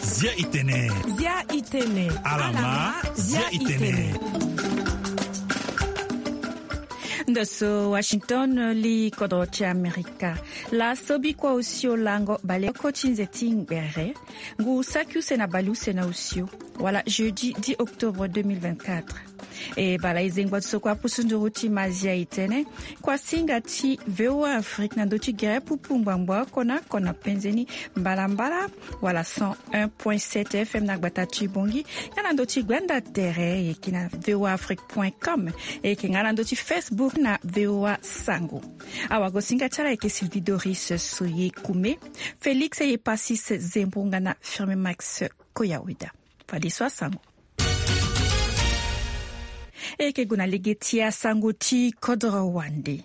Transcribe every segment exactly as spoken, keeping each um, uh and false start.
Zia itene. Zia itene. Alama, zia itene. Ndo so Washington, li kodro ti Amerika. Laso bikua osio lango baleoko ti nze ti ngbere. Ngu saki use na baleuse na osio. Wala jeudi dix octobre deux mille vingt-quatre. E bala e zengba ti so kue apusu nduru ti mazia itene. Kuasinga ti V O A Afrique na ndö ti gere pupu ngbangbo oko na oko na penze ni mbalambala, wala cent un point sept F M na gbata ti Bongi, nga na ndö ti gbanda tere, e yeke na V O A Afrique point com, e yeke nga na ndö ti Facebook na V O A Sango. Awagosinga ti ala ayeke Sylvie Doris Soye Koume, Félix Eyepasis Zembo nga na Firme Max Koyaweda. Fadeso asango. E yeke gue na lege ti asango ti kodro wande.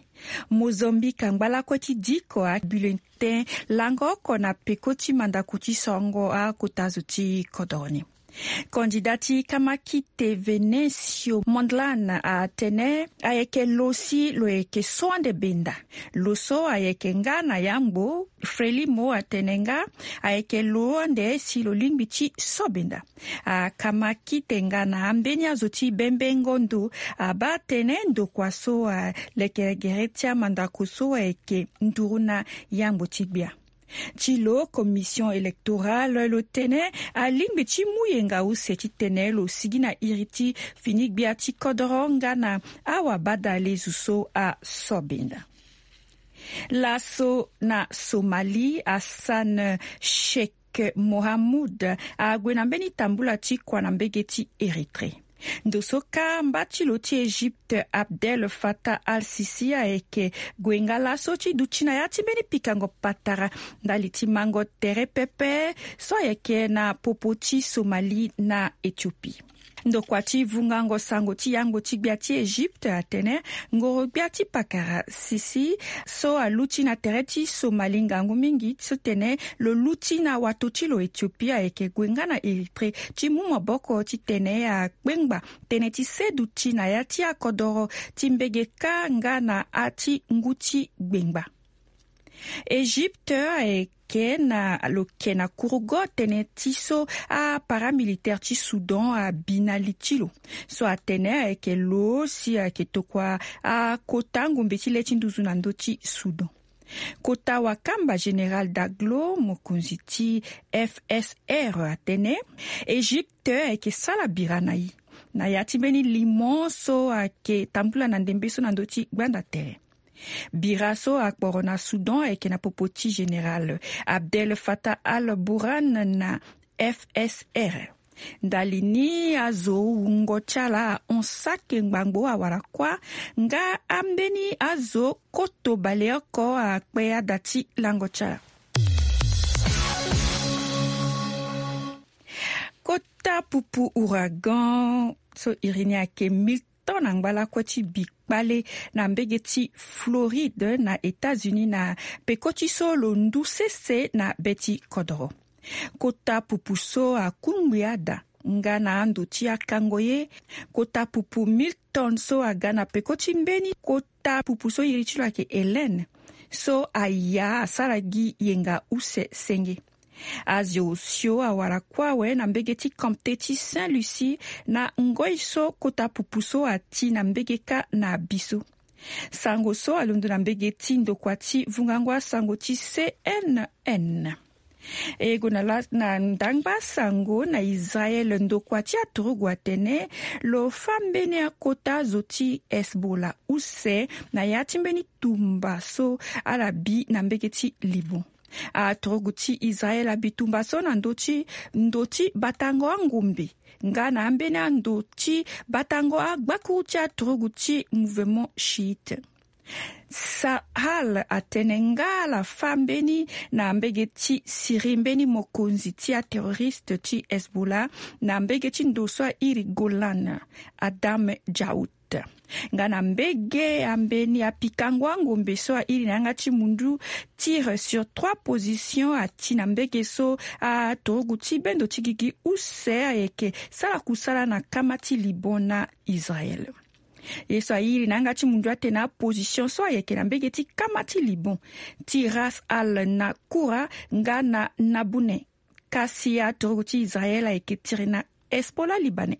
Mozambique angba lakue ti diko abulletin lango oko na peko ti mandako ti songo akota zo ti kodro ni. Kandida ti kamakite Venencio Mondlane atene ayeke lo si lo yeke so ande benda. Lo so ayeke nga na yangbo Frelimo atene nga ayeke lo ande si lo lingbi ti so benda. Akamakite nga na ambeni azo ti bembengo ndo abaa tënë ndokua so alekere gere ti amandako so ayeke nduru na yangbo ti gbia. Ti lo commission électorale lo tene alingbi ti mu yenga use titene lo sigi na iri ti fini gbia ti kodoro nga na awabadalezu so asobenda. Laso na Somalie, Hassan Sheikh Mohamud ague na mbeni tambula ti kua na mbege ti Érythrée. Ndo so kâ mba ti lo ti Égypte Abdel Fattah al-Sisi ayeke gue nga laso ti duti na ya ti mbeni pikango patara ndali ti mango tere pepe so ayeke na popo ti Somalie na Éthiopie. Ndokua ti vungango sango ti yangbo ti gbia ti Égypte atene ngoro gbia ti pakara Sisi so aluti na tere ti Somalie ngangu mingi titene lo luti na wato ti lo Éthiopie ayeke gue nga na Érythrée ti mu maboko titene akpengba tënë ti seduti na ya ti akodoro ti mbege kâ nga na ati ngu ti gbengba. Égypte ayeke na lo ke na kurugo tënë ti so aparamilitaire ti Soudan abi na li ti lo. So atene ayeke lo si ayeke tokua akota ngombe ti le ti nduzu na ndö ti Soudan. Kota wakamba Général Daglo, mokonzi ti F S R, atene Égypte ayeke sala bira na e na ya ti mbeni limo so ayeke tambula na ndembe so na ndö ti gbanda tere. Bira so akporo na Soudan ayeke na popo ti Général Abdel Fattah al-Burhan na F S R. Ndali ni azo wungo ti ala ahon sake ngbangbo awara kuâ nga ambeni azo koto baleoko akpe ada ti lango ti ala. Kota pupu ouragan so iri ni ayeke mille tonnes angba lakue ti bi kpale na mbege ti Floride na États-Unis na peko ti so lo ndu sese na be ti kodoro. Kota pupu so akungbi ada nga na ando ti akango ye. Kota pupu mille tonnes so aga na peko ti mbeni kota pupu so iri ti lo ayeke Hélène so aya asara gi yenga use senge. Azo osio awara kue awe na mbege ti Comté ti Saint-Lucie na ngoi so kota pupu so ati na mbege kâ na bi so. Sango so alondo na mbege ti ndokua ti vungango asango ti C N N. E gue na la na ndangba sango na Israël, ndokua ti aturugu atene lo fâ mbeni akota zo ti Hezbollah use na ya ti mbeni tumba so ala bi na mbege ti Liban. Aturugu ti Israël abi tumba so na ndö ti ndo ti batango angombe nga na ambeni ando ti batango agbakuru ti aturugu ti mouvement chiite. Sahal atene nga ala fâ mbeni na mbege ti Syrie mbeni mokonzi ti aterroriste ti Hezbollah na mbege ti ndo so airi Golan, Adam Djaout. Nga na mbege ambeni apikango angombe so airi na yanga ti mundu, tir sur trois positions ati na mbege so aturugu ti bendo ti gigi use ayeke sara kusala na kama ti Liban na Israël. Ye so airi na yanga ti mundu atene aposition so ayeke na mbege ti kama ti Liban, ti Ras Al Nakura nga na Nabune. Kasi aturugu ti Israel ayeke tiri na Hezbollah libanais.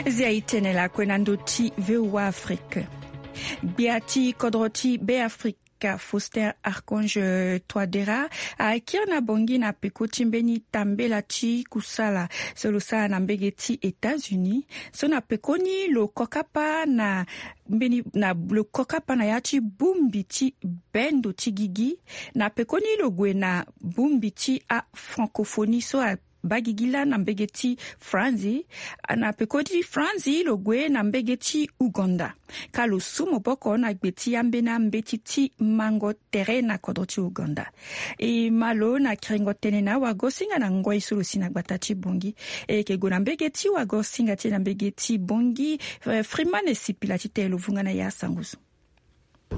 Zia e tene lakue na ndö ti V O A Afrique. Gbia ti kodro ti Be Afrika, Faustin Archange Touadéra, akiri na Bangui na peko ti mbeni tambela ti kusala so lo sara na mbege ti États-Unis, so na pekoni lo kokapa na mbeni na lo kokapa na ya ti bongbi ti bendo ti gigi, na pekoni lo gue na bongbi ti afrancophonie so abaa gigi laa na mbege ti Franzi. Na peko ti Franzi lo gue na mbege ti Ouganda. Ka lo su maboko na gbe ti ambeni ambeti ti mango tere na kodro ti Ouganda. E ma lo na kiringo tënë na wagosinga na ngoi so lo si na gbata ti Bangui. E yeke gue na mbege ti wagosinga ti e na mbege ti Bangui, eh, Freeman Esipila ti tene lo vunga na e asango so.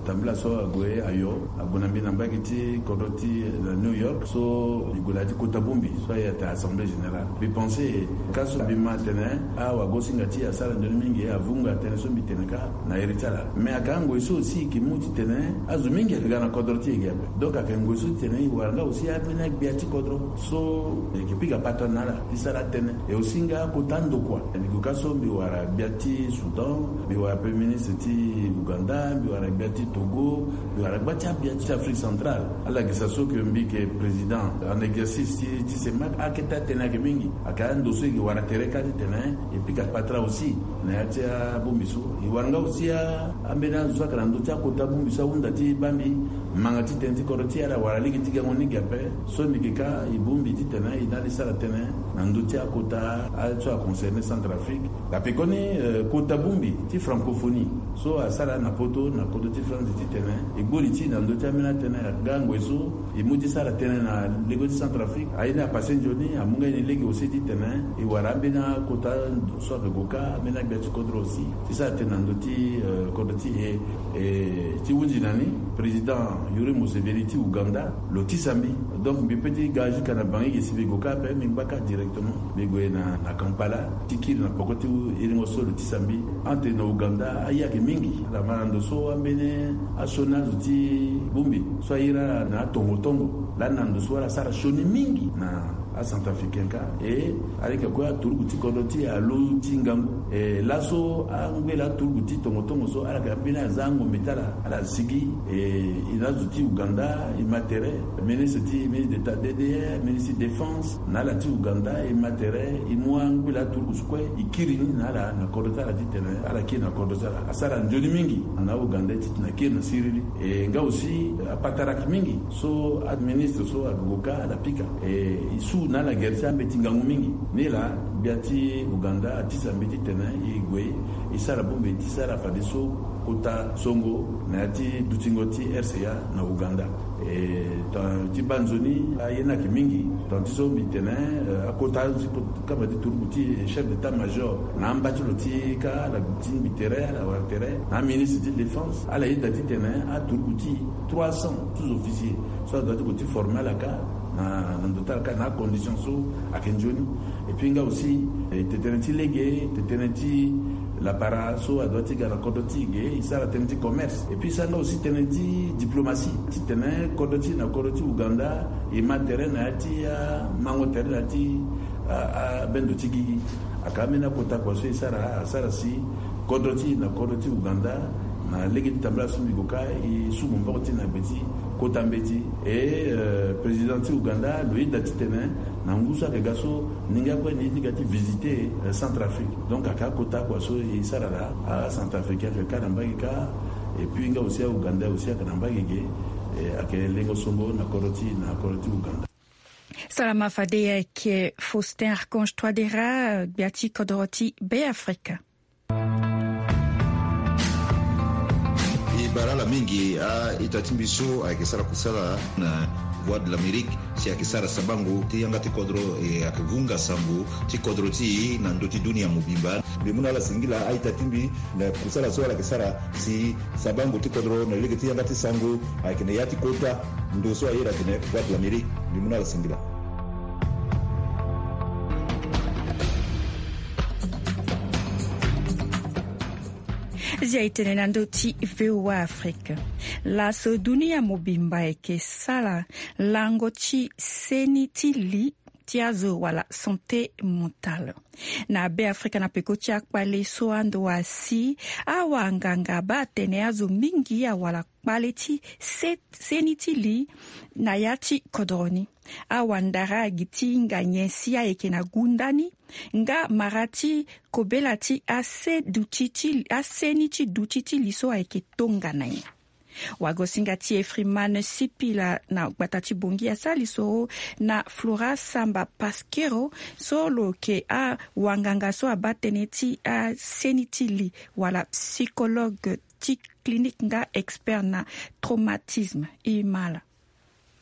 Tambula so ague ayo, ague na mbi na mbage ti kodro ti, eh, New York, so mbi gue na ya ti kota bongbi so aye ata Assemblée Générale. Mbi pense ka so mbi ma atene awagosinga ti e asara nzoni mingi, avunga tënë so mbi tene kâ na iri ti ala. Mais ayeke angoi so aussi e yeke mu titene azo mingi ayeke ga na kodro ti e ge ape. Donc ayeke ngoi so titene e wara nga aussi ambeni agbia ti kodro so e yeke pika patara na ala ti sara atënë. E aussi nga kota andokua. Mbi gue ka so mbi wara gbia ti Soudan, mbi wara premier ministre ti Ouganda, mbi wara gbia ti Togo, mbi wara gbia ti agbia ti Afrique centrale. Ala gi sa so ke mbi yeke président en exercice ti, ti CEMAC, akete atënë ayeke mingi. Ayeke ando so e yeke wara tere kâ titene e pika patara aussi na ya ti abongbi so. E wara nga aussi a, ambeni azo so ayeke na ndö ti akota bongbi so ahunda ti baa mbi manga ti tënë ti kodro ti e, ala wara lege ti gango ni ge ape. So mbi yeke kâ e bongbi titene e na ala e sara tënë na ndö ti akota a, so aconcerné Centrafrique. Ape koni, eh, kota bongbi ti francophonie so asara na poto na kodro ti France titene e gbu li ti e na ndö ti ambeni atënë. Nga ngoi so e mu ti sara tënë na lege ti Centrafrique, aye ni apasse nzoni, amu nga ye ni lege aussi titene e wara ambeni akota so ayeke gue kâ, ambeni agbia ti kodro aussi ti sara tënë na ndö ti, eh, kodro ti e. E, ti hunzi na ni, président Yoweri Museveni ti Ouganda lo tisa mbi. Donc mbi peut ti ga jusqu'à na Bangui ge si mbi gue kâ ape, mbi ngba kâ directement. Mbi gue na, na Kampala ti kiri na peko ti iringo so lo tisa mbi. Ante na Ouganda aye ayeke mingi. Ala ma na ndo so ambeni asioni azo ti bongbi so aye iri ala na atongo tongo. Lani na ndo so ala sara sioni mingi na acentrafricain kâ. E ala yeke kue aturugu ti kodro ti e alo ti ngangu. E laso angbela aturugu ti tongo tongo so ala yeke ambeni aza angombe ti ala, ala sigi. E, e na azo ti Ouganda e ma tere, ministre ti, ministre d'État D D R, ministre ti défense, na ala ti Ouganda e ma tere, e mu angbela aturugu so kue e kiri ni na ala na kodro ti ala titene ala kiri na kodro ti ala. Asara nzoni mingi na Ouganda ti titene akiri na siriri. E nga aussi apatara ayeke mingi so aministre so ague gue kâ ala pika. E, e su na ala gere ti ambeti ngangu mingi. Ni laa gbia ti Ouganda atisa mbi titene e gue e sara bongbi ti sara fadeso kota songo na ya ti dutingo ti R C A na Ouganda. E, tongana ti baa nzoni aye ni ayeke mingi. Tongana ti so mbi tene, eh, akota so ti kota kama ti turugu ti e, chef d'état-major, na amba ti lo ti kâ, ala ti mbi tere, ala wara tere na aministre ti défense, ala yeda titene aturugu ti trois cents sous-officiers so adoit ti gue ti former ala kâ na, na ndo ti ala kâ na acondition so ayeke nzoni. Et puis nga aussi, eh, tetene ti lege, tetene ti lapara so adoit ti ga na kodro ti e ge, e sara tënë ti commerce. Et puis e sara nga aussi tënë ti diplomatie. Titene kodro ti e na kodro ti Ouganda e ma tere na ya ti amango tere na ya ti a, abendo ti gigi. Ayeke ambeni akota kua so e sara, asara si kodro ti e na kodro ti Ouganda na lege ti tambala so mbi gue kâ, e su maboko ti e na gbe ti kota mbeti. E, eh, président ti Ouganda lo yeda titene na ngu so ayeke ga so, ni nga kue ni ye ti ga ti visiter, eh, Centrafrique. Donc ayeke akota kua so e sara laa, acentrafricain ayeke kâ na mbage kâ. Et puis nga aussi aougandais aussi ayeke na mbage ge. Eh, ayeke lengo songo na kodro ti e, na kodro ti Ouganda. Salama fade, ayeke Faustin Archange Touadéra, gbia ti kodro ti Be Afrika. E bara ala mingi a-ita ti mbi so ayeke sara kusala na Voix de l'Amérique, si ayeke sara sabango ti yanga ti kodro, e ayeke vunga sango ti kodro ti e na ndö ti dunia mobimba. Mbi mu na ala singila a-ita ti mbi na kusala so ala yeke sara si sabango ti kodro na lege ti yanga ti sango ayeke na ya ti kota ndo so a iri atene Voix de l'Amérique. Mbi mu na ala singila. Zia e tene na ndö ti V O A Afrique. Laso dunia mobimba ayeke sara lango ti seni ti li ti azo wala santé mentale. Na Be Afrika na peko ti akpale so ando asi, awanganga baa atene azo mingi awara kpale ti se- seni ti li na ya ti kodro ni. Awandara agi ti hinga nyen si ayeke na gunda ni, nga mara ti kobela ti ase duti ti aseni ti duti ti li so ayeke tongana nyen. Wagosinga ti e Freeman Sipila na gbata ti Bongi asara lisoro na Flora Samba Paskero, so lo yeke awanganga so abaa tënë ti aseni ti li wala psychologue ti clinique nga expert na traumatisme. E ma laa.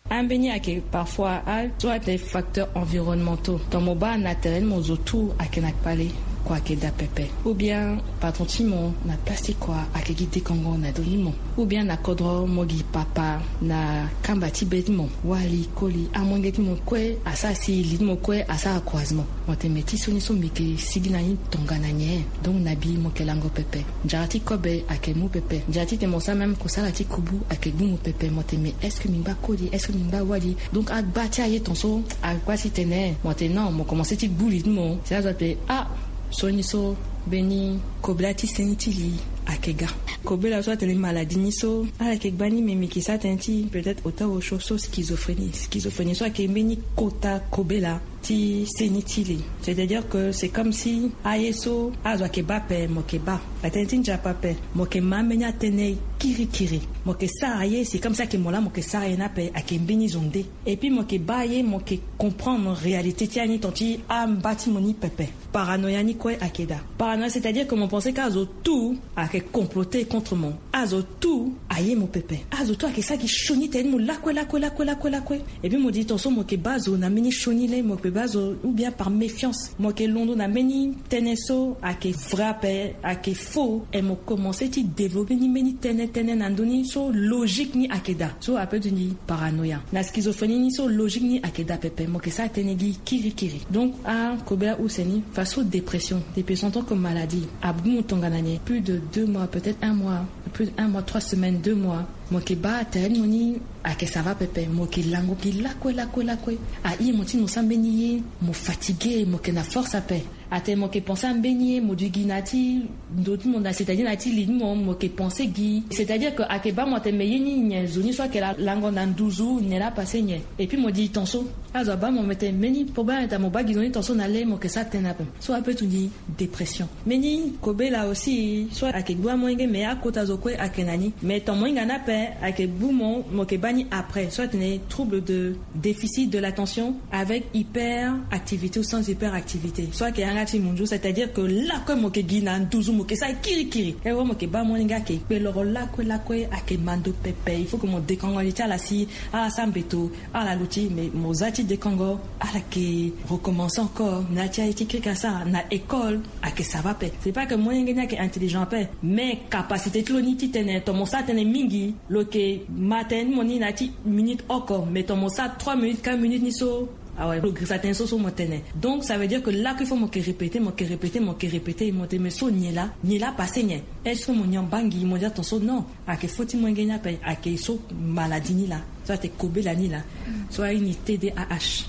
Ambeni ayeke parfois a so atene facteurs environnementaux. Ton mo baa na tere ni mo zo tout ayeke na kpale, kua ayeke daa pepe. Ou bien patron ti mo na place ti kua ayeke gi dekongo na ndö ni mo. Ou bien na kodro mo gi papa na kamba ti be ti mo, wali, koli, amolenge ti mo kue asara si li ti mo kue asara croisement. Mo tene me ti so ni so mbi yeke sigi na ni tongana nyen? Donc na bi mo yeke lango pepe. Nzara ti kobe ayeke mu pepe. Nzara ti tene mo sara même kosala ti kubu ayeke gbu mo pepe. Mo tene me est-ce que mbi ngba koli, est-ce que mbi ngba wali? Donc agba ti aye ton so agba ti tene. Mo tene non, mo komanse ti gbu li ti mo. Si azo atene ah, so ni so mbeni kobela ti seni ti li ayeke ga. Kobela so atene maladie ni so ala yeke gba ni, me mbi yeke sara tënë ti peut-être ota osio so schizophrénie. Schizophrénie so ayeke mbeni kota kobela ti seni ti li. C'est-à-dire que c'est comme si aye so azo ayeke baa ape mo yeke baa. Atënë ti nzapa ape mo yeke ma ambeni atënë kirikiri. Mo yeke sara ye, c'est comme si ayeke mo laa mo yeke sara ye ni ape, ayeke mbeni zo nde. Et puis mo yeke baa ye, mo yeke comprendre réalité ti ani ton ti amba ti mo ni pepe. Paranoïa ni kue ayeke daa. Paranoïa c'est-à-dire que mo pense ka azo tout ayeke comploter contre mo. Azo tout aye mo pepe. Azo tout ayeke sara gi sioni tene ti mo lakue lakue lakue lakue lakue. Et puis mo di ton so mo yeke baa zo na mbeni sioni le, mo yeke baa zo ou bien par méfiance. Mo yeke londo na mbeni tënë so ayeke vrai ape, ayeke faux. Et mo komanse ti développer ni mbeni tënë tënë na ndö ni so logique ni ayeke daa. So ape ti ni paranoïa. Na schizophrénie ni so logique ni ayeke daa pepe, mo yeke sara tënë gi kirikiri. Donc akobela use ni, façon dépression, dépression en tant que maladie, agbu mo tongana nyen? Plus de deux mois, peut-être un mois, plus d'un mois, trois semaines, deux mois. Mo yeke baa tere ti mo ni ayeke ça va pepe, mo yeke lango gi lakue lakue lakue. Aye mo ti mo sara mbeni ye, mo fatigué, mo yeke na force ape. Atene mo yeke pense ambeni ye, mo di gi na ya ti ndo ti mo na, c'est-à-dire na ya ti li ti mo, mo yeke pense gi. C'est-à-dire que ayeke baa mo atene me ye ni nyen zo ni so ayeke la- lango na nduzu nyen laa passé nyen. Et puis mo di ton so azo abaa mo, me tene mbeni problème ayeke daa, mo baa gi zo ni ton so na le, mo yeke sara tënë ape. So ape ti ni dépression. Mbeni kobela aussi so ayeke gbu amolenge, me akota zo kue ayeke na ni. Me ton mo hinga ni ape ayeke gbu mo, mo yeke baa ni après. So atene trouble de déficit de l'attention avec hyperactivité ou sans hyperactivité. So ayeke yanga ti munzu, c'est-à-dire que lakue mo yeke gi na nduzu, mo yeke sara kirikiri. E wo mo yeke baa amolenge ayeke kpe loro lakue lakue, ayeke mando pepe. Il faut que mo dekongo li ti ala si ala sara mbeto, ala luti, mais mo za ti dekongo, ala yeke recommencer encore na ya ti aye ti kirikiri asara na école. Ayeke ça va ape. C'est pas que molenge ni ayeke intelligent ape, mais capacité ti lo ni ti tene ton mo sara tënë mingi, lo yeke ma tënë ti mo ni na ya ti minute oko, mais ton mo sara trois minutes, quatre minutes ni so, awe, lo girisa tënë so so mo tene. Donc ça veut dire que lakue il faut mo yeke répéter, mo yeke répéter, mo yeke répéter, mo tene me so nyen laa, nyen laa passé nyen? Est-ce que mo nyon baa ngi? Mo di aton so non. Ayeke faute ti molenge ni ape, ayeke so maladie ni laa. So atene kobela ni laa. So aye ni T D A H.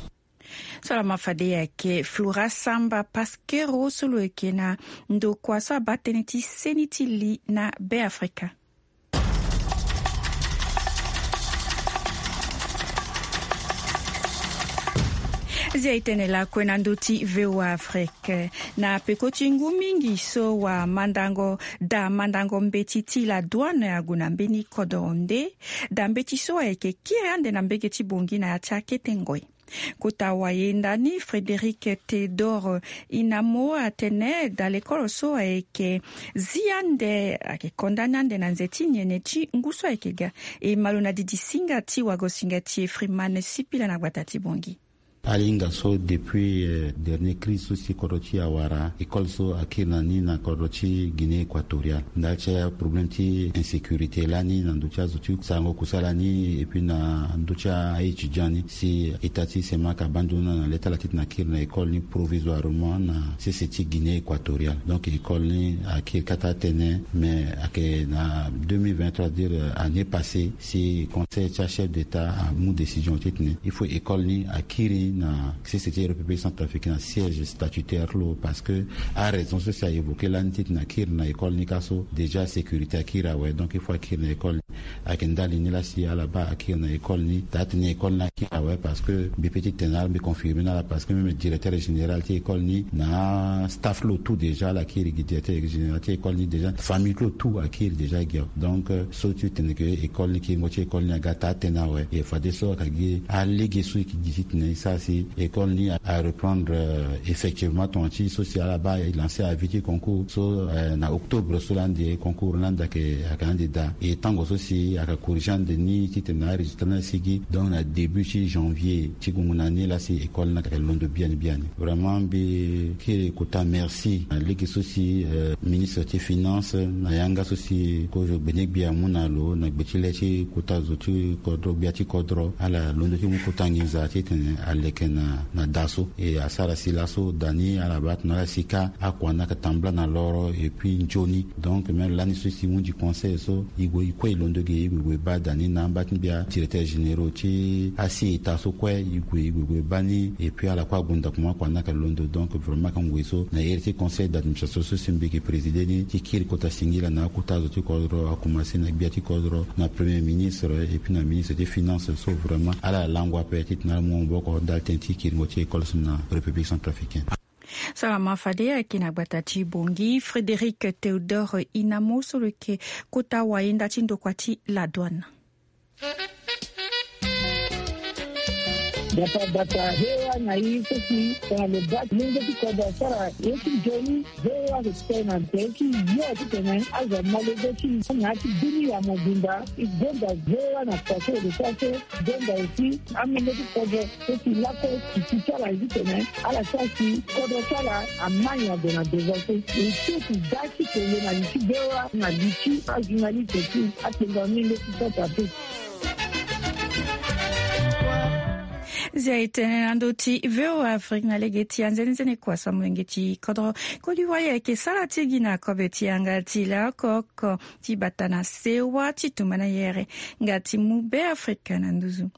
So laa ma fade ayeke Flora Samba Paskero so lo yeke na ndokua so abaa tënë ti seni ti li na Be Afrika. Zia e tene lakue na ndö ti V O A Afrique. Na peko ti ngu mingi so wamandango, daa mandango mbeti ti la douane ague na mbeni kodro nde daa mbeti so ayeke kiri ande na mbege ti Bongi na ya ti akete ngoi. Kota wayenda ni Frédéric Théodore Inamo atene daa lekolo so ayeke zi ande, ayeke condamné ande na nze ti nyen ti ngu so ayeke ga. E ma lo na didi singa ti wagosinga ti e Freeman Sipila na gbata ti Bongi. Alinga so depuis dernier crise so si kodro ti awara école so akiri na ni na kodro ti Guinée équatoriale ndali ti aproblème ti insécurité lani na ndö ti azo ti sarango kusala ni et puis na ndö ti a-étudiant ni si état ti semaka abandona na leta la ti tena akiri na école ni provisoirement na sese ti Guinée équatoriale. Donc école ni akiri kata atene mais ayeke na deux mille vingt-trois, dire année passée, si conseil ti achef d'état amu décision ti tene il faut école ni akiri na sese ti République centrafricaine na siège statutaire ti lo parce que araison so si a évoqué lani ti tene akiri na école ni ka so déjà sécurité akiri awe. Donc il faut akiri na école ni. Ayeke ndali ni la si ala baa akiri na école ni daa tene école ni akiri awe parce que mbi pe ti tene ala mbi confirmer na ala parce que même directeur général ti école ni na staff lo tout déjà ala kiri gi directeur général ti école ni déjà famille ti lo tout akiri déjà gi awe. Donc so ti tene ke école ni kiringo ti école ni aga taa tënë awe. E fadeso ayeke gi alege so e ke gi ti tene e sara si école ni areprendre effectivement tongana ti so si ala baa e lancer avis ti concours so na octobre so lani de concours lani de ayeke ande daa. E tango so si ayeke corriger ande ni ti tene arésultat ni asigi donc na début ti janvier ti gungu na ni la si école ni ayeke londo biani biani. Vraiment mbi kiri kota merci na lege so si ministre ti finance na yanga so si kozo gbene gbia amu na lo na gbe ti le ti kota zo ti kodro gbia ti kodro ala londo ti mu kota nginza ti tene aleke na da so e asara si laso da ni ala baa tongana ala si ka akua ni ayeke tambula na loro et puis nzoni. Donc même lani so si e mu gi conseil so e gue e kue e londo gi e gue e gue e baa da ni na amba ti mbia directeur généraux ti asi état so kue e gue e gue e gue e baa ni et puis ala kue ague ndako mo akua ni ayeke londo. Donc vraiment ayeke ngoi so na iri ti conseil d'administration so si mbi yeke présider ni ti kiri kota singila na akota zo ti kodro akomanse na gbia ti kodro na premier ministre et puis na ministre ti finance so vraiment ala lango ape ti tena ala mu maboko ndali tënë ti kiringo ti école so na République centrafricaine. Salama fade ayeke na gbata ti Bangui Frédéric Théodore Inamo so lo yeke kota wayenda ti ndokua ti la douane. Gbata gbata V O A na i so si tongana lo baa ti lenge ti kodro asara ye ti nzoni. V O A lo tene na tere ti yo ti tene azo amolenge ti na ya ti bini ya mobimba. E gonda V O A na kua so e lo sara so. Gonda aussi amolenge ti kodro so si lakue siki ti ala ye ti tene ala sara si kodro ti ala amai ague na devant so. E so si da ti kele na li ti V O A na li ti ajournaliste ti atengo amolenge ti kota pe. Zia e tene na ndö ti V O A Afrique na lege ti anzenenzene kua so amolenge ti kodro Côte d'Ivoire ayeke sara ti gi na kobe ti yanga ti laoko oko ti bata na sewa ti tumba na yere nga ti mu Beafrika na nduzu.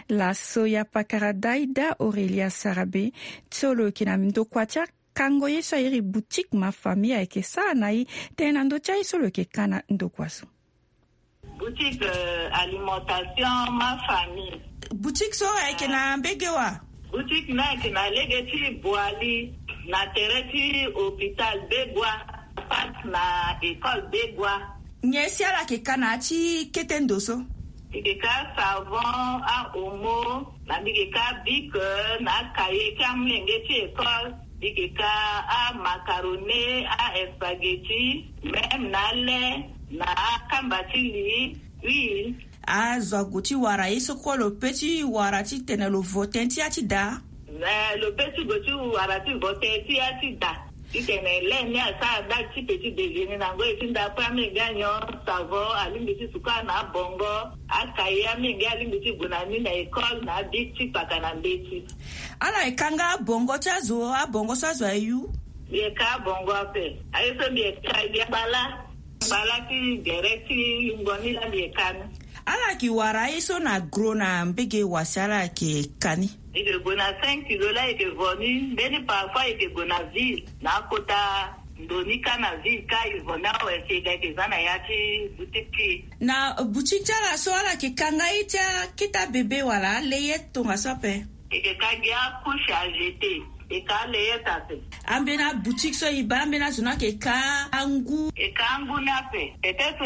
Laso ya pakara Daida Aurélia Sarabe so lo yeke na ndokua ti akango ye so a iri boutique Ma Famille ayeke sara na e tene na ndö ti aye so lo yeke ka na ndokua so. Boutique alimentation Ma Famille. Boutique so ayeke na mbege wa? Boutique ni ayeke na lege ti Boali na tere ti hôpital Begua, face na école Begua. Nyen si ala yeke ka na ya ti kete ndo so? Mbi yeke ka savon, ahomo, na mbi yeke ka bic na akaye ti amolenge ti école. Mbi yeke ka amacaroni, aespaghetti, même na lait, na akamba ti li, huile. Azo ague ti wara ye so kue lo pe ti wara titene lo vo tënë ti ya ti da? Eh, lo pe ti gue ti wara ti vo tënë ti ya ti da. Titene lait ni asara ndali ti petit déjeuner na ngoi ti ndapre, amenge anyon, savon, alingbi ti suka na abongo, akaye amenge alingbi ti gue na ni na école, na abic ti kpaka na mbeti. Ala yeke ka nga abongo ti azo, abongo so azo ayu? Mbi yeke ka abongo ape. Aye so mbi yeke ka, mbi yeke ka bala. Bala ti gere ti yungo ni laa mbi yeke ka ni. Ala yeke wara aye so na gros na mbege wa si ala yeke ka ni? E yeke gue na cinq kilo laa e yeke vo ni. Mbeni parfois e yeke gue na ville na akota ndo ni kâ na ville kâ e vo ni awe si e ga e yeke za na ya ti boutique ti e. Na boutique ti ala so ala yeke ka nga ye ti akete abebe wala alayette tongaso ape? E yeke ka gi acouche à jeter. E ka alayette ape. Ambeni aboutique so e baa ambeni azo ni ayeke ka angu? E ka angu ni ape. Peut-être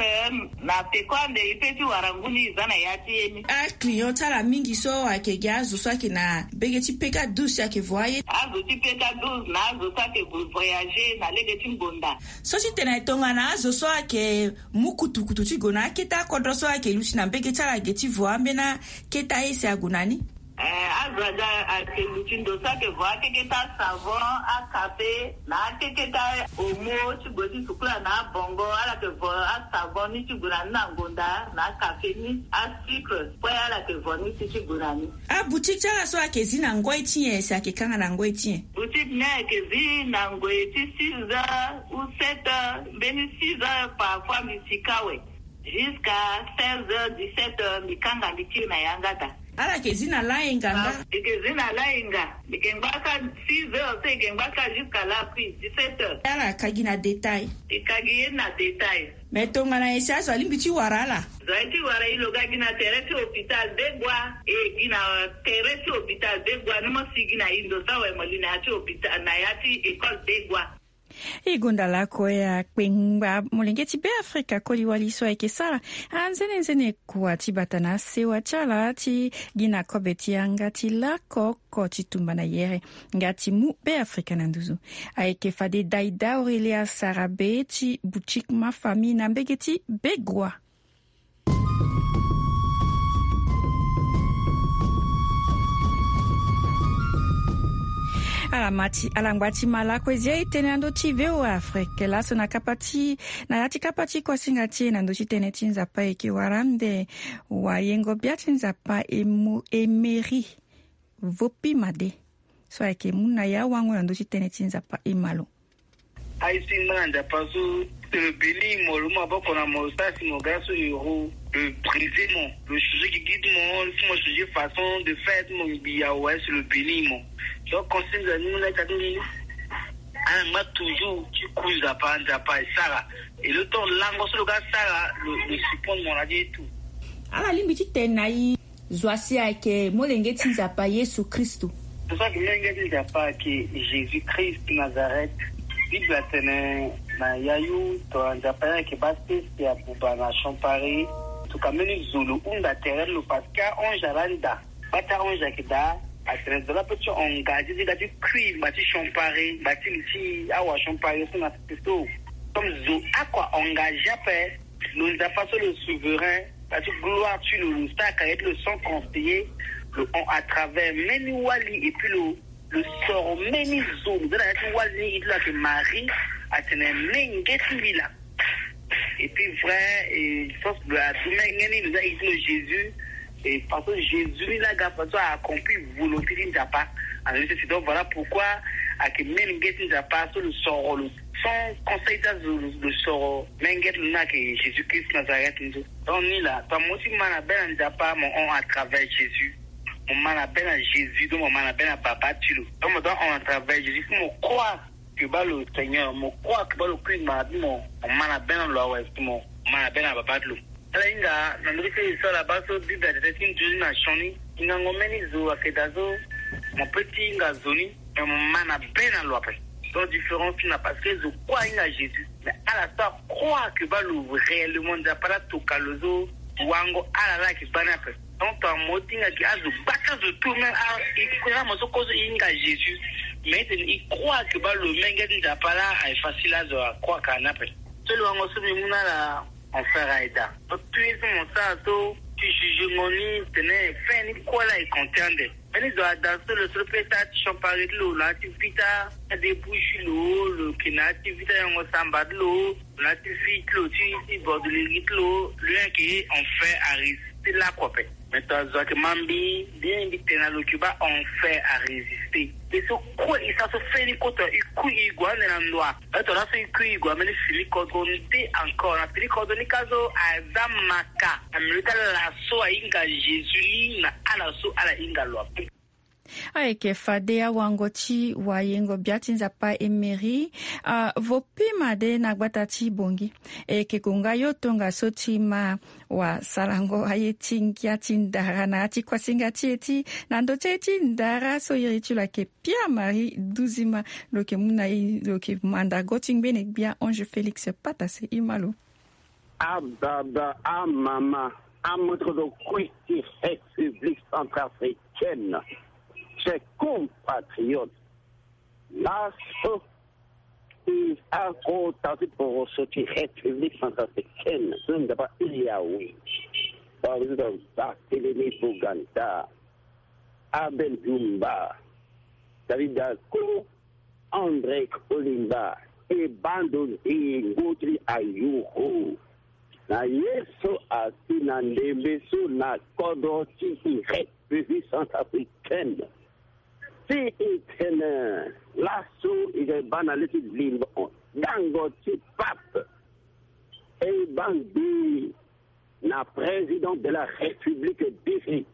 na peko ande e pe ti wara ngu ni e za na ya ti ye ni. Aclient ti ala mingi so ayeke gi azo so ayeke na mbege ti P K douze si ayeke vo aye? Azo ti P K douze na azo so ayeke gue voyager na lege ti ngbonda. So ti tene tongana azo so ayeke mu kutukutu ti gue na akete akodro so ayeke luti na mbege ti ala ge ti vo ambeni akete aye si ague na ni? Eh, azo aga ayeke luti ndo so ayeke vo akeketa savon, akafe na akeketa omo ti gue ti sukula na abongo. Ala yeke vo asavon ni ti gue na ni na ngonda na akafe ni, asucre kue ala yeke vo ni ti ti gue na ni. Aboutique ti ala so ayeke zi na ngoi ti nyen si ayeke kanga na ngoi ti nyen? Boutique ni ayeke zi na ngoi ti six heures ou sept heures, mbeni six heures parfois mbi sika awe. Jusqu'à seize heures, dix-sept heures mbi kanga mbi tiri na yanga daa. Ala yeke zi na layenga nga? Mbi yeke zi na layenga. Mbi yeke ngba ka six heures so, mbi yeke ngba ka jusqu'à la pluie, dix-sept heures. Ala ka gi na détail? Mbi ka gi ye na détail. Mais tongana nyen si azo alingbi ti wara ala? Zo aye ti wara e lo ga gi na tere ti hôpital Degua. E gi na tere ti hôpital Degua ni mo si gi na e ndo so awe mo li na ya ti hôpital, na ya ti école Degua. E gonda lakue akpengba molenge ti Beafrika koli wali so ayeke sara anzenenzene kua ti bata na asewa ti ala ti gi na kobe ti yanga ti lako oko ti tumba na yere nga ti mu Beafrika na nduzu. Ayeke fade Daida Aurelia Sarabe ti boutique Ma Famille na mbege ti Begua. Ala ma ti ala ngba ti ma lako e zi aye tënë na ndö ti V O A Afrique laso na kapa ti na ya ti kapa ti kuasinga ti e na ndö ti tënë ti Nzapa e yeke wara ande wayengo bia ti Nzapa Emo- Emery Vopi Made so ayeke mu na ya wango na ndö ti tënë ti Nzapa e ma lo. Aye si ngbanga Nzapa so, si lo béni mo, lo mu maboko na mo, lo sara si mo ga so euro, lo brise mo, lo changer gigi ti mo, lo si mo changer façon de faire ti mo ngbii awe, si lo béni mo. Donc conseil nzanzi mu na ita ti mbi, ala ngba toujours ti ku Nzapa, Nzapa e sara. Et le temps lango so lo ga sara, lo, lo surprendre mo na ti ye tout. Ala lingbi ti tene na e. Zo asi ayeke molenge ti Nzapa Yesu Kristo. Zo so ayeke molenge ti Nzapa ayeke Jésus Christ Nazareth. Bible atene na yayu tongana Nzapa ni ayeke baa sese abuba na siampari. Tongana mbeni zo lo hunda tere ti lo parce que ange alaa nda. Baa ti ange ayeke daa atene zo laa peut ti engagé ti ga ti kui ngba ti siampari, ngba ti li ti awa siampari so na sese so. Comme zo oko a engagé ape, lo Nzapa so lo souverain, na ti gloire ti lo, lo sara carrière ti lo sans conseiller, lo hon à travers mbeni wali, et puis lo, lo soro mbeni zo, lo za na ya ti wali ni, e ti lo ayeke Marie, atene menge ti mbi laa. Et puis vrai, et je pense que lo adu menge ni, lo za e ti lo Jésus, et parce que Jésus ni laa ga façon a accompli volonté ti Nzapa. Alors c'est donc voilà pourquoi ayeke menge ti Nzapa so lo soro lo sans conseil ti azo, lo soro menge ti lo ni ayeke Jésus Christ Nazareth ni so. Donc ni laa tongana mo ti ma na be na Nzapa, mo hon à travers Jésus. Mo ma na be na Jésus, donc mo ma na be na Baba ti lo. Donc mo doit hon à travers Jésus, si mo croire que baa lo Seigneur, mo croire que baa lo kui ngba na be mo, mo ma na be na lo awe, si mo ma na be na Baba ti lo. Ala hinga na ndö ti so ala baa so Bible atene ti nzoni na sioni. Hingango mbeni zo ayeke daa so mo peut ti hinga zo ni, mais mo ma na be na lo ape. Donc différence ni laa parce que zo kue ahinga Jésus, mais ala so acroire que baa lo réellement Nzapa laa atoka lo so wango ala laa ayeke gbani ape. Donc tongana mo ti hinga gi azo gbata zo tout même a, e kue na mo so kozo e hinga Jésus, mais e tene e croire que baa lo menge ti Nzapa laa aye facile azo acroire ka ni ape. So lo wango so mbi mu na ala. Mon frère Aïda, so tout ye so mo sara so ti jugengo ni tene fin ni kue laa e compter ande. Mbeni zo ada so lo so lo peut sara ti siampari ti lo na ya ti vita adébouche lo, lo yeke na ya ti vita yango samba ti lo, na ya ti vie ti lo ti, ti bordeleri ti lo, lo yeke en fait à résister lakue ape. Mais tongana zo ayeke ma mbi, bien mbi tene na lo ke baa en fait à résister. E so kue e sara so feni kota e kui e gue ande na ndoa. Aye tongana laso e kui e gue ambeni fini kodro nde encore na fini kodro ni ka so aza maka na milieu ti ala so ahinga Jésus ni na ala so ala hinga lo ape. Ayeke fade awango ti wayengo bia ti Nzapa Emery, ah, vo pima de na gbata ti Bongi. E yeke gonga yo tongaso ti ma wasarango aye ti ngia ti ndara na ya ti kuasinga ti e ti na ndo ti aye ti ndara so iri ti lo ayeke Pierre Marie Duzima. Lo yeke mu na e, lo yeke mandango ti ngbene gbia Ange Félix Patase. E ma lo. Ababa, amama, amoto kue ti République centrafricaine, chers compatriotes, laso e akota ti poroso ti République centrafricaine so Nzapa iri awe, président Barthélémy Boganda. Abel Dumba, David Dako, André Kolimba, e bando nzingo ti ayuru. Na ye so asi na ndembe so na kodro ti République centrafricaine. Si e tene laso e ga e baa na le ti limbo dango ti pape. E baa ngbii na président de la République bizi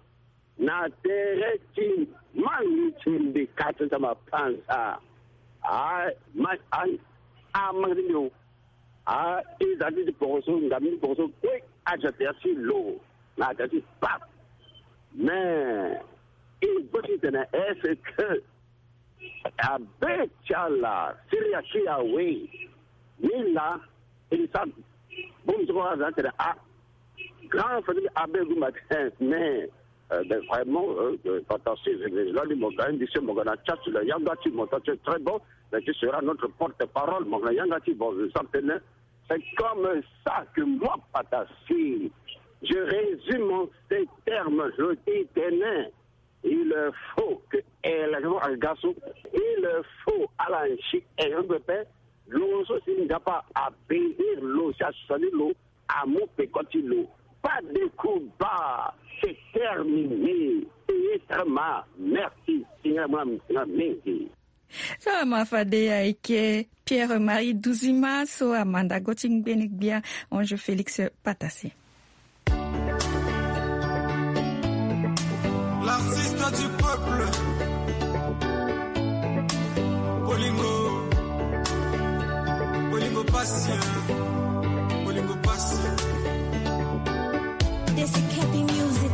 na tere ti mani ti mbi kati ti mapanza. A ma a a mani ti mbi o. A e za ti ti poroso ngam ti poroso kue. Aza tere ti lo na tere ti pape. Mais e boti tene est-ce que abe ti ala siri aki awe? Ni laa e sa bongbi ti kua aza tene a grand famille abe gumba ti. Mais euh, ben, vraiment euh, euh, fantastique. Lani mo ga indi se mo ga na tia ti lo yanga ti mo ta ti très bon. Mais tu seras notre porte-parole mo ga na yanga ti bon. Je sens tene c'est comme ça que moi patasi je résume en ces termes. Je dis tene il faut que élection aga so. Il faut ala nsi élection pepe. Lo so si nzapa abénir lo si asani lo amu peko ti lo. Pas de coup bas. C'est terminé. Payé très mal. Merci. Seigneur moi mingi. So ama fade ayeke Pierre Marie Duzima so amandago ti ngbene gbia Ange Félix Patase. L'artiste du peuple. Bolingo. Bolingo pasi. Bolingo pasi. This is Cappy Music.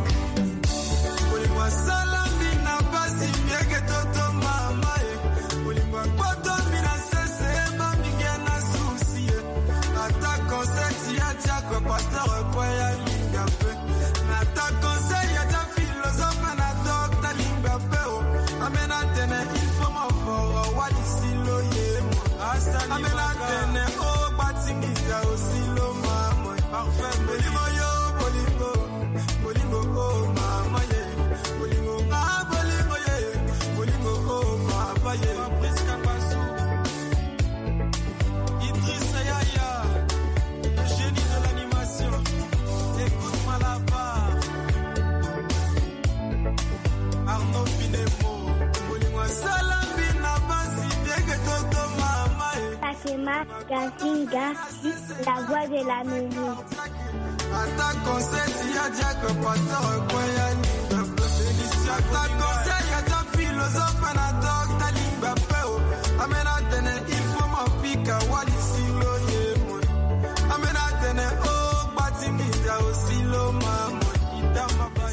Bolingo asala mbi na pasi mieke toto mama e. Bolingo akpoto mbi na sese ema mingi na susi e. Ata concert ya diacre pasteur kue ya linga mpe. Nata conseil ya ta philosophe na docteur lingba pe o. Amena tene il faut ma foro wali silo ye mo. Amena tene o gbatingi ta o silo ma mo. Parfait bolingo yo bolingo. Bolingo o mama ye. Bolingo nga bolingo ye. Bolingo o papa ye. Fabrice Kapasu. Idriss Yaya, le génie de l'animation. Écoute-moi là-bas. Arnaud Pinemo. Bolingo asala mbi na basi teke toto mama e. Fatima Gazinga, la voix de la mairie. Ata concert ya diacre pasteur kue ya linga mpe. Félix ata conseil ya ta philosophe na docteur lingba mpe o. Amena tene il faut ma pika wali silo ye mo. Amena tene o gbatingi ta o silo ma mo. Itama bai.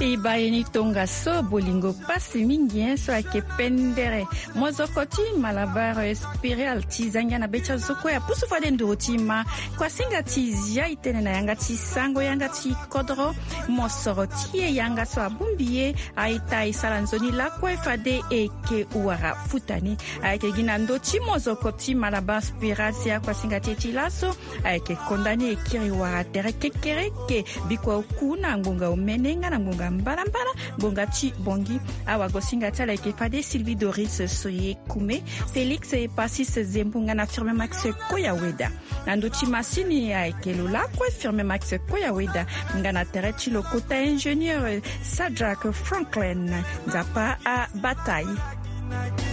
E baa ye ni tongaso bolingo pasi mingi hein so ayeke pendere. Mozoko ti Malabar Espiral ti zangia na be ti azo kue apusu fade nduru ti ma. Kuasinga ti zia e tene na yanga ti sango yanga ti kodro. Mosoro ti e yanga so abongbi ye. Aita e sara nzoni lakue fade e yeke wara futa ni. Ayeke gi na ndö ti mozoko ti Malabar Espiral si akuasinga ti e ti laso. Ayeke konda ni e kiri wara tere kekereke. Bikua oku na ngbonga omene nga na ngbonga mbalambala. Ngbonga ti bongi. Awagosinga ti ala ayeke fade Sylvie Doris Soye Kume. Félix Epasis Zembu nga na Firme Max Koyaweda. Na ndö ti masini ayeke lo lakue Firme Max Koyaweda. Nga na tere ti lo kota ingénieur Sadrak Franklin. Nzapa abata e.